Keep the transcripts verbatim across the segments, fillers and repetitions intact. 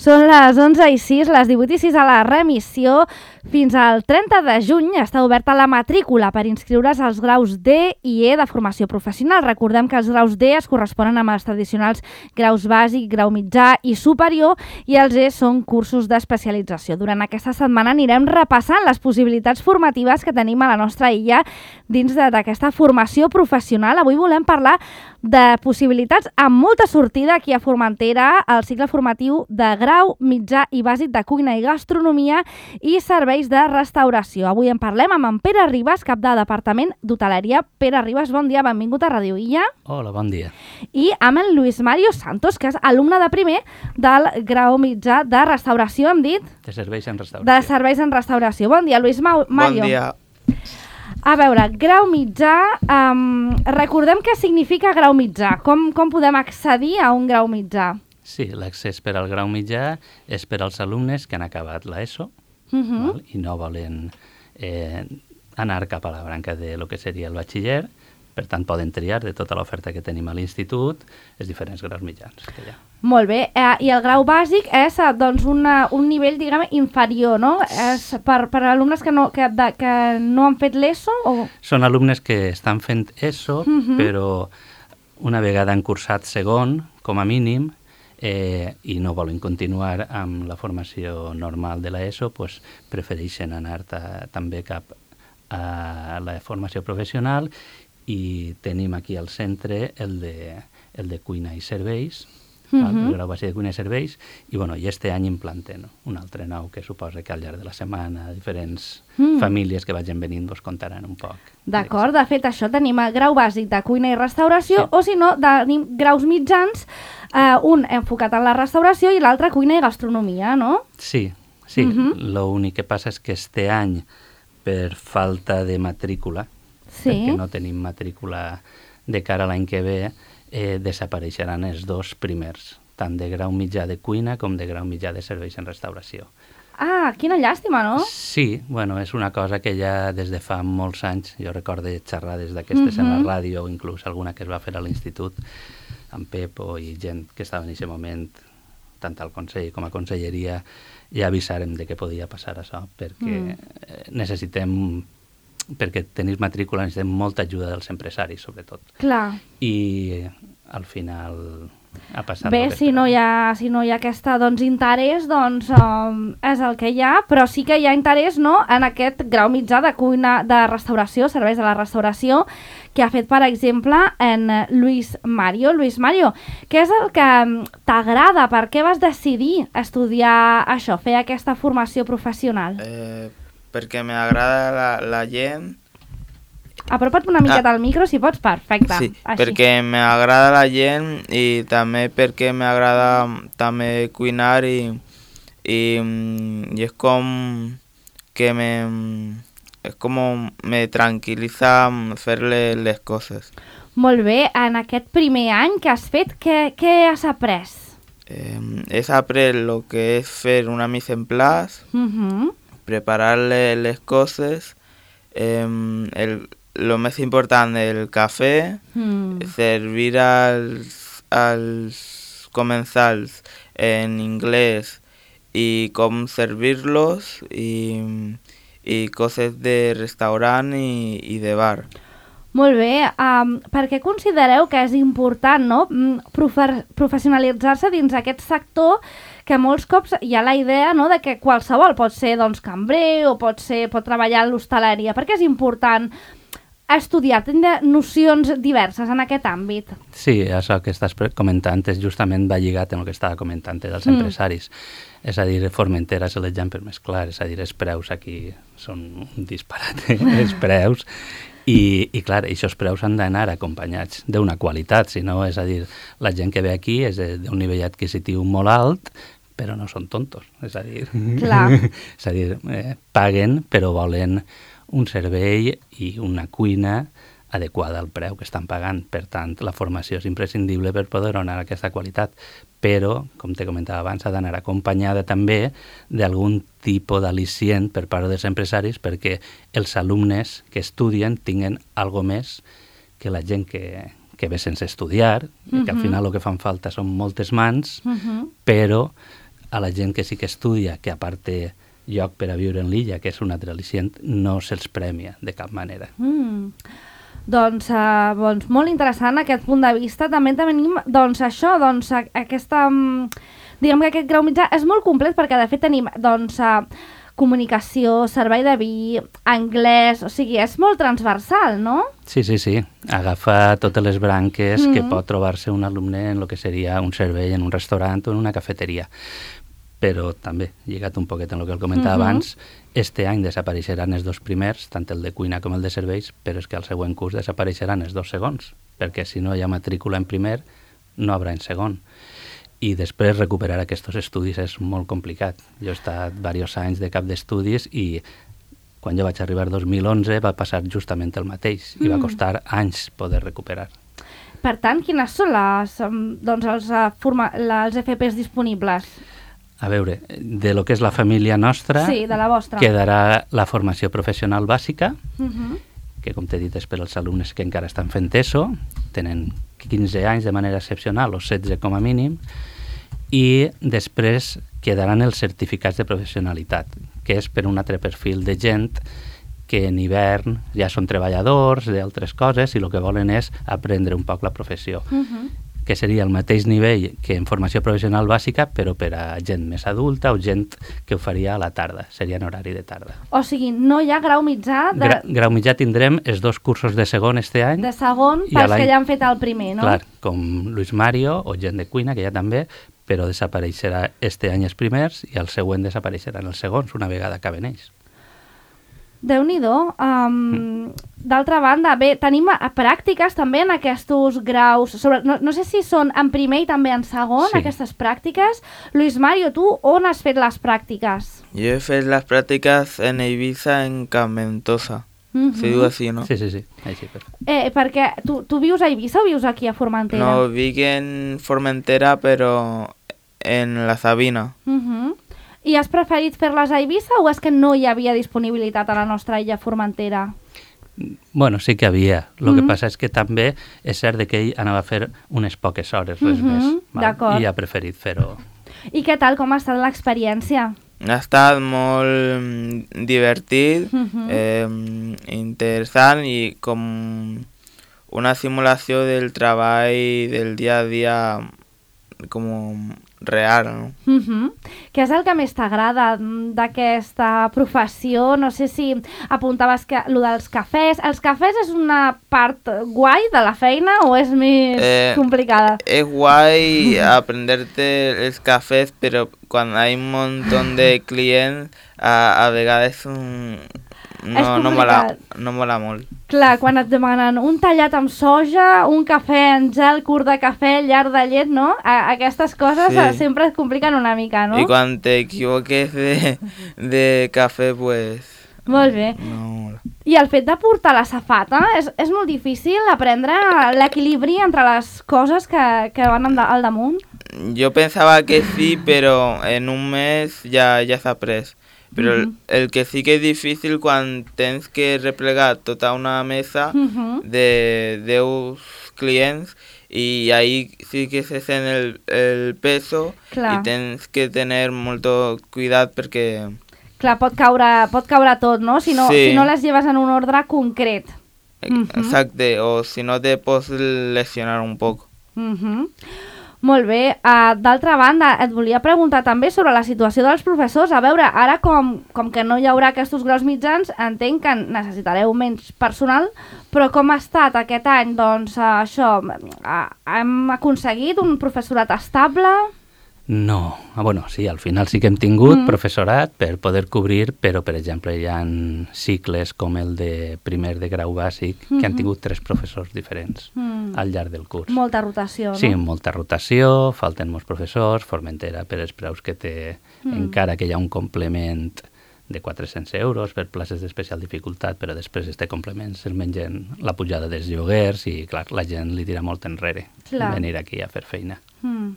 Són les onze i sis, les divuit i sis a la remissió. Fins al trenta de juny està oberta la matrícula per inscriure's als graus D i E de formació professional. Recordem que els graus D es corresponen amb els tradicionals graus bàsic, grau mitjà i superior, i els E són cursos d'especialització. Durant aquesta setmana anirem repassant les possibilitats formatives que tenim a la nostra illa dins d'aquesta formació professional. Avui volem parlar de possibilitats amb molta sortida aquí a Formentera, al cicle formatiu de grau mitjà i bàsic de cuina i gastronomia i serveis de restauració. Avui en parlem amb en Pere Ribas, cap de Departament d'Hoteleria. Pere Ribas, bon dia, benvingut a Ràdio Illa. Hola, bon dia. I amb en Luis Mario Santos, que és alumne de primer del grau mitjà de restauració, hem dit? De serveis en restauració. De serveis en restauració. Bon dia, Luis Ma- Mario. Bon dia. A veure, grau mitjà, um, recordem què significa grau mitjà. Com, com podem accedir a un grau mitjà? Sí, l'accés per al grau mitjà és per als alumnes que han acabat l'ESO Uh -huh. val? I no volen eh, anar cap a la branca de lo que seria el batxiller. Per tant, poden triar de tota l'oferta que tenim a l'institut els diferents graus mitjans que hi ha. Molt bé, eh, i el grau bàsic és eh, doncs una, un nivell, diguem, inferior, no? És per, per alumnes que no, que, de, que no han fet l'ESO? O... Són alumnes que estan fent ESO, Uh -huh. però una vegada han cursat segon, com a mínim, eh, i no volen continuar amb la formació normal de l'ESO, doncs prefereixen anar ta, també cap a la formació professional, i tenim aquí al centre el de, el de cuina i serveis, Uh val? -huh. El grau bàsic de cuina i serveis, i, bueno, i este any implantem un altre nou que suposa que al llarg de la setmana diferents Mm. famílies que vagin venint vos contaran un poc. D'acord, de fet, això tenim el grau bàsic de cuina i restauració, Sí. o si no, tenim graus mitjans, eh, un enfocat en la restauració i l'altre cuina i gastronomia, no? Sí, sí. Mhm. L'únic que passa és que este any, per falta de matrícula, Sí. perquè no tenim matrícula de cara a l'any que ve, eh, desapareixeran els dos primers, tant de grau mitjà de cuina com de grau mitjà de serveis en restauració. Ah, quina llàstima, no? Sí, bueno, és una cosa que ja des de fa molts anys, jo recordo xerrades d'aquestes en Mhm. la ràdio, o inclús alguna que es va fer a l'institut, amb Pepo i gent que estava en aquest moment, tant al Consell com a Conselleria, ja avisàrem de que podia passar això, perquè Mm. eh, necessitem, perquè tenir matrícula necessitem molta ajuda dels empresaris, sobretot. Clar. I al final ha passat... Bé, el que si no hi esperàvem. ha, si no hi ha aquesta, doncs, interès, doncs um, és el que hi ha, però sí que hi ha interès, no?, en aquest grau mitjà de cuina, de restauració, serveis de la restauració, que ha fet, per exemple, en eh, Luis Mario. Luis Mario, què és el que mm, t'agrada? Per què vas decidir estudiar això, fer aquesta formació professional? Eh, perquè m'agrada la, la gent. Apropa't una miqueta al micro, si pots, perfecte. Sí, Així. perquè m'agrada la gent i també perquè m'agrada també cuinar i, i, mm, i és com que me, és com me tranquil·litza fer les, les coses. Molt bé, en aquest primer any que has fet, què, què has après? Eh, és après lo que és fer una mise en place, Uh-huh. preparar le- les coses, eh, el, lo més important, el cafè, Mm. servir als, als comensals en inglès i com servir-los i, i coses de restaurant i, i de bar. Molt bé, um, per què considereu que és important, no?, mm, profe professionalitzar-se dins aquest sector, que molts cops hi ha la idea, no?, de que qualsevol pot ser, doncs, cambrer o pot ser, pot treballar en l'hostaleria. Per què és important estudiar, tindre nocions diverses en aquest àmbit? Sí, això que estàs pre- comentant és justament va lligat amb el que estava comentant dels Mm. empresaris. És a dir, Formentera és l'exemple més clar, és a dir, els preus aquí són un disparate, els preus, i, i clar, aquests preus han d'anar acompanyats d'una qualitat, si no, és a dir, la gent que ve aquí és de- d'un nivell adquisitiu molt alt, però no són tontos, és a dir, Clar. és a dir, eh, paguen però volen un servei i una cuina adequada al preu que estan pagant. Per tant, la formació és imprescindible per poder donar aquesta qualitat, però, com te comentava abans, ha d'anar acompanyada també d'algun tipus d'al·licient per part dels empresaris perquè els alumnes que estudien tinguen algo més que la gent que, que ve sense estudiar, uh -huh. que al final el que fan falta són moltes mans, Uh -huh. però a la gent que sí que estudia, que a part té lloc per a viure en l'illa, que és un altre al·licient, no se'ls premia de cap manera. Mm. Doncs, uh, doncs molt interessant aquest punt de vista. També tenim doncs, això, doncs, aquesta, diguem que aquest grau mitjà és molt complet perquè de fet tenim doncs, uh, comunicació, servei de vi, anglès, o sigui, és molt transversal, no? Sí, sí, sí. Agafa totes les branques mm-hmm. que pot trobar-se un alumne en el que seria un servei en un restaurant o en una cafeteria. Però també, lligat un poquet en el que el comentava mm-hmm. abans, este any desapareixeran els dos primers, tant el de cuina com el de serveis, però és que al següent curs desapareixeran els dos segons, perquè si no hi ha matrícula en primer, no haurà en segon. I després recuperar aquests estudis és molt complicat. Jo he estat diversos anys de cap d'estudis i quan jo vaig arribar el dos mil onze va passar justament el mateix i mm. va costar anys poder recuperar. Per tant, quines són les, doncs, els, forma, les F Ps disponibles? A veure, de lo que és la família nostra, sí, de la vostra, quedarà la formació professional bàsica, uh-huh. que com t'he dit és per als alumnes que encara estan fent ESO, tenen quinze anys de manera excepcional o setze com a mínim, i després quedaran els certificats de professionalitat, que és per un altre perfil de gent que en hivern ja són treballadors d'altres coses i el que volen és aprendre un poc la professió. Uh-huh. Que seria el mateix nivell que en formació professional bàsica, però per a gent més adulta o gent que ho faria a la tarda, seria en horari de tarda. O sigui, no hi ha grau mitjà? De... Gra grau mitjà tindrem els dos cursos de segon este any. De segon, pels que ja han fet el primer, no? Clar, com Luis Mario o gent de cuina, que ja també, però desapareixerà este any els primers i el següent desapareixeran els segons una vegada acaben ells. Déu-n'hi-do. Um, mm. D'altra banda, bé, tenim a, a pràctiques també en aquests graus, sobre, no, no sé si són en primer i també en segon, sí. Aquestes pràctiques. Luis Mario, tu on has fet les pràctiques? Jo he fet les pràctiques en Eivissa, en Camp Ventosa. Uh-huh. Se diu així, no? Sí, sí, sí. Així, perfecte. Eh, perquè tu, tu vius a Eivissa o vius aquí a Formentera? No, vic en Formentera, però en la Sabina. Uh-huh. I has preferit fer-les a Eivissa o és que no hi havia disponibilitat a la nostra illa Formentera? Bueno, sí que havia. El mm-hmm. que passa és que també és cert que ell anava a fer unes poques hores, res mm-hmm. més. D'acord. I ha preferit fer-ho. I què tal? Com ha estat l'experiència? Ha estat molt divertit, mm-hmm. eh, interessant i com una simulació del treball del dia a dia com real, no? Uh-huh. Què és el que més t'agrada d'aquesta professió? No sé si apuntaves que lo dels cafès. Els cafès és una part guai de la feina o és més eh, complicada? És guai aprenderte els cafès, però quan hi ha un munt de clients, a, a vegades un... No, no, mola, no mola molt. Clar, quan et demanen un tallat amb soja, un cafè en gel, curt de cafè, llarg de llet, no? A aquestes coses sí. sempre es compliquen una mica, no? I quan t'equivoques de, de cafè, pues... Molt bé. No mola. I el fet de portar la safata, és, és molt difícil aprendre l'equilibri entre les coses que, que van al damunt? Jo pensava que sí, però en un mes ja, ja s'ha après. Però uh-huh. el, el que sí que és difícil quan tens que replegar tota una mesa uh-huh. de deu clients i ahí sí que se sent el, el peso Clar. I tens que tenir molt cuidat perquè... Clar, pot caure, pot caure tot, no? Si no, sí. si no les lleves en un ordre concret. Exacte, uh-huh. o si no te pots lesionar un poc. Uh-huh. Molt bé. Uh, D'altra banda, et volia preguntar també sobre la situació dels professors. A veure, ara com, com que no hi haurà aquests graus mitjans, entenc que necessitareu menys personal, però com ha estat aquest any? Doncs uh, això, uh, hem aconseguit un professorat estable? No, ah, bueno, sí, al final sí que hem tingut mm. professorat per poder cobrir, però, per exemple, hi ha cicles com el de primer de grau bàsic mm-hmm. que han tingut tres professors diferents mm. al llarg del curs. Molta rotació, no? Sí, molta rotació, falten molts professors, Formentera per els preus que té, mm. encara que hi ha un complement de quatre-cents euros per places d'especial dificultat, però després este complement se'l mengen la pujada dels lloguers i, clar, la gent li tira molt enrere clar. Venir aquí a fer feina. Mm.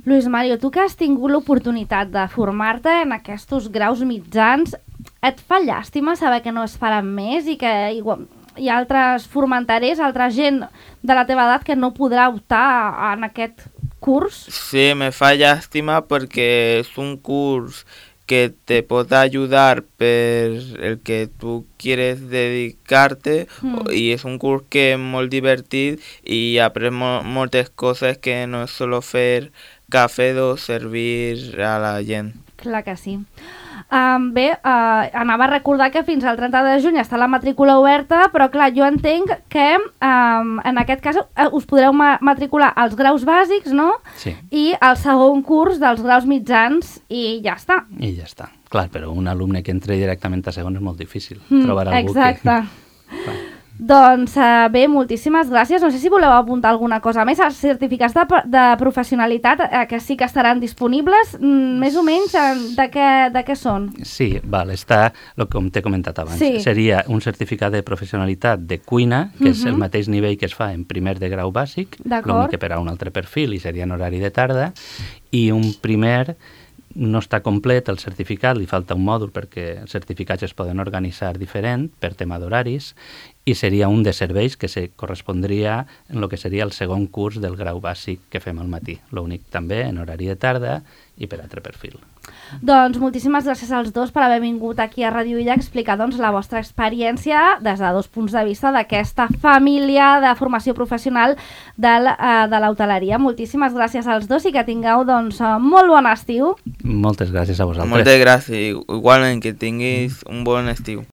Luis Mario, tu que has tingut l'oportunitat de formar-te en aquests graus mitjans, et fa llàstima saber que no es faran més i que igual, hi ha altres formenterers, altra gent de la teva edat que no podrà optar en aquest curs? Sí, me fa llàstima perquè és un curs que te pot ayudar per el que tu quieres dedicarte mm. i és un curs que és molt divertit i après mo moltes coses que no és solo fer cafè o servir a la gent. Clar que sí. Um, bé, uh, anava a recordar que fins al trenta de juny està la matrícula oberta, però clar, jo entenc que um, en aquest cas uh, us podreu ma matricular als graus bàsics, no? Sí. I al segon curs dels graus mitjans i ja està. I ja està. Clar, però un alumne que entre directament a segon és molt difícil mm, trobar algú exacte. que... Doncs uh, bé, moltíssimes gràcies. No sé si voleu apuntar alguna cosa més. Els certificats de, de professionalitat uh, que sí que estaran disponibles, mm, més o menys uh, de, què, de què són? Sí, val, està, el que t'he comentat abans. Sí. Seria un certificat de professionalitat de cuina, que uh -huh. és el mateix nivell que es fa en primer de grau bàsic, l'únic que per a un altre perfil i seria en horari de tarda, i un primer... no està complet el certificat, li falta un mòdul perquè els certificats es poden organitzar diferent per tema d'horaris i seria un de serveis que se correspondria en el que seria el segon curs del grau bàsic que fem al matí, l'únic també en horari de tarda i per altre perfil. Doncs moltíssimes gràcies als dos per haver vingut aquí a Ràdio Illa a explicar doncs, la vostra experiència des de dos punts de vista d'aquesta família de formació professional de l'hoteleria. Moltíssimes gràcies als dos i que tingueu doncs, molt bon estiu. Moltes gràcies a vosaltres. Moltes gràcies, igualment que tinguis un bon estiu.